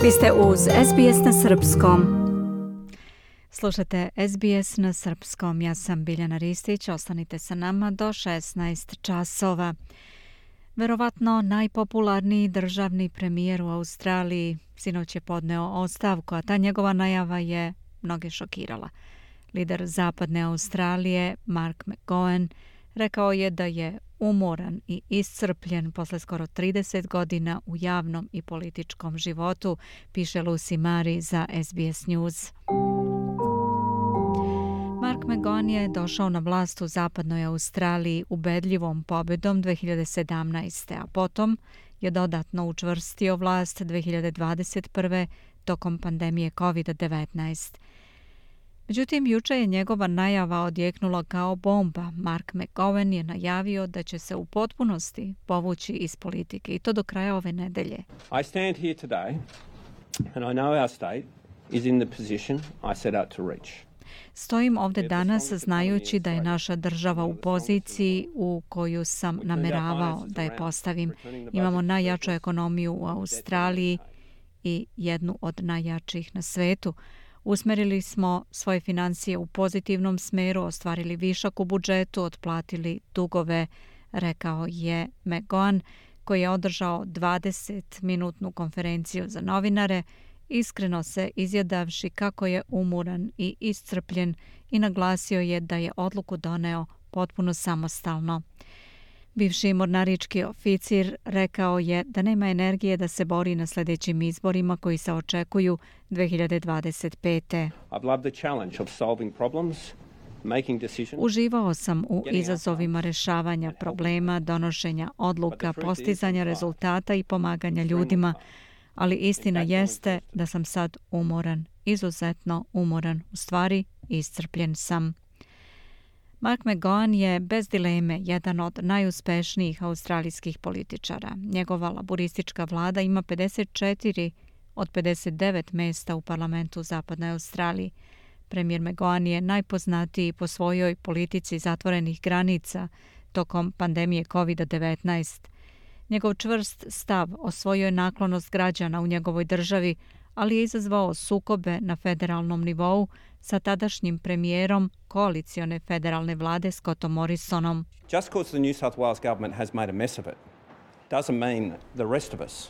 Vi ste uz SBS na Srpskom. Slušate SBS na Srpskom. Ja sam Biljana Ristić. Ostanite sa nama do 16 časova. Verovatno najpopularniji državni premijer u Australiji sinoć je podneo ostavku, a ta njegova najava je mnoge šokirala. Lider zapadne Australije, Mark McGowan, rekao je da je umoran i iscrpljen posle skoro 30 godina u javnom i političkom životu, piše Lucy Murray za SBS News. Mark McGowan je došao na vlast u zapadnoj Australiji ubedljivom pobedom 2017. a potom je dodatno učvrstio vlast 2021. tokom pandemije COVID-19. Međutim, juče je njegova najava odjeknula kao bomba. Mark McGowan je najavio da će se u potpunosti povući iz politike i to do kraja ove nedelje. I stand here today and I know our state is in the position I set out to reach. Stojim ovde danas znajući da je naša država u poziciji u koju sam nameravao da je postavim. Imamo najjaču ekonomiju u Australiji i jednu od najjačih na svetu. Usmerili smo svoje financije u pozitivnom smeru, ostvarili višak u budžetu, otplatili dugove, rekao je McGowan, koji je održao 20-minutnu konferenciju za novinare, iskreno se izjadavši kako je umoran i iscrpljen i naglasio je da je odluku doneo potpuno samostalno. Bivši mornarički oficir rekao je da nema energije da se bori na sljedećim izborima koji se očekuju 2025. Uživao sam u izazovima rešavanja problema, donošenja odluka, postizanja rezultata i pomaganja ljudima, ali istina jeste da sam sad umoran, izuzetno umoran, u stvari iscrpljen sam. Mark McGowan je bez dileme jedan od najuspešnijih australijskih političara. Njegova laboristička vlada ima 54 od 59 mesta u parlamentu u zapadnoj Australiji. Premijer McGowan je najpoznatiji po svojoj politici zatvorenih granica tokom pandemije COVID-19. Njegov čvrst stav osvojio je naklonost građana u njegovoj državi, ali je izazvao sukobe na federalnom nivou sa tadašnjim premijerom koalicione federalne vlade Scottom Morrisonom. Just because the New South Wales government has made a mess of it doesn't mean the rest of us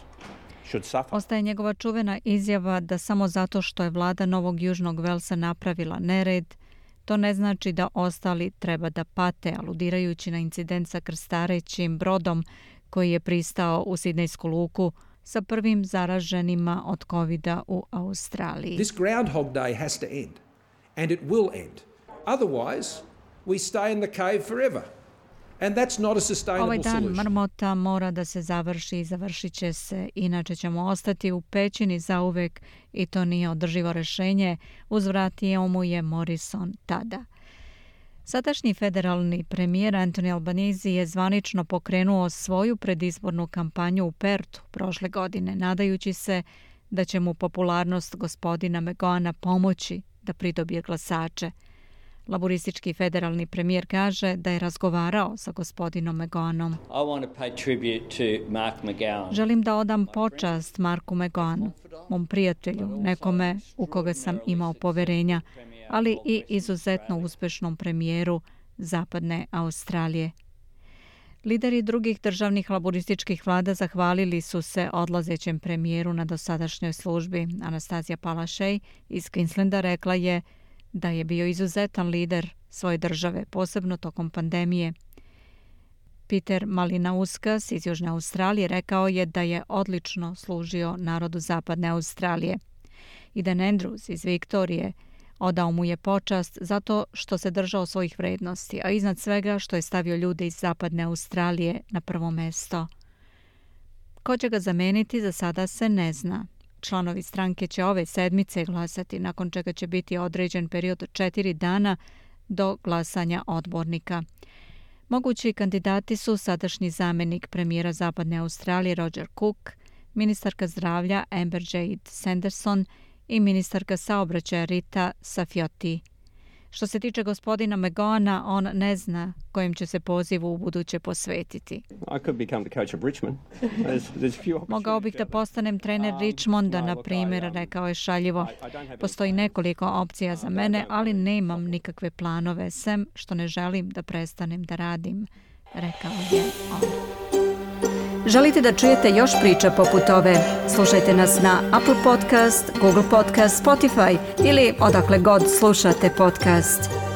should suffer. Ostaje njegova čuvena izjava da samo zato što je vlada Novog Južnog Velsa napravila nered, to ne znači da ostali treba da pate, aludirajući na incident sa krstarećim brodom koji je pristao u Sidnejsku luku sa prvim zaraženima od COVID-a u Australiji. This Groundhog Day has to end, and it will end. Otherwise, we stay in the cave forever. And that's not a sustainable solution. Ovaj dan marmota mora da se završi i završit će se, inače ćemo ostati u pećini zauvek i to nije održivo rešenje, uzvratio mu je Morrison tada. Sadašnji federalni premijer Anthony Albanese je zvanično pokrenuo svoju predizbornu kampanju u Pertu prošle godine, nadajući se da će mu popularnost gospodina McGowana pomoći da pridobije glasače. Laboristički federalni premijer kaže da je razgovarao sa gospodinom McGowanom. Želim da odam počast Marku McGowanu, mom prijatelju, nekome u koga sam imao poverenja, ali i izuzetno uspešnom premijeru zapadne Australije. Lideri drugih državnih laborističkih vlada zahvalili su se odlazećem premijeru na dosadašnjoj službi. Anastazija Palaszczuk iz Queenslanda rekla je da je bio izuzetan lider svoje države, posebno tokom pandemije. Peter Malinauskas iz Južne Australije rekao je da je odlično služio narodu zapadne Australije. Eden Andrews iz Viktorije odao mu je počast zato što se držao svojih vrednosti, a iznad svega što je stavio ljude iz zapadne Australije na prvo mesto. Ko će ga zameniti, za sada se ne zna. Članovi stranke će ove sedmice glasati, nakon čega će biti određen period od 4 dana do glasanja odbornika. Mogući kandidati su sadašnji zamenik premijera zapadne Australije Roger Cook, ministarka zdravlja Amber Jade Sanderson i ministarka saobraćaja Rita Safioti. Što se tiče gospodina Megona, on ne zna kojem će se pozivu u buduće posvetiti. Mogao bih da postanem trener Richmonda, na primjer, rekao je šaljivo. Postoji nekoliko opcija za mene, ali nemam nikakve planove, sem što ne želim da prestanem da radim, rekao je on. Želite da čujete još priča poput ove? Slušajte nas na Apple Podcast, Google Podcast, Spotify ili odakle god slušate podcast.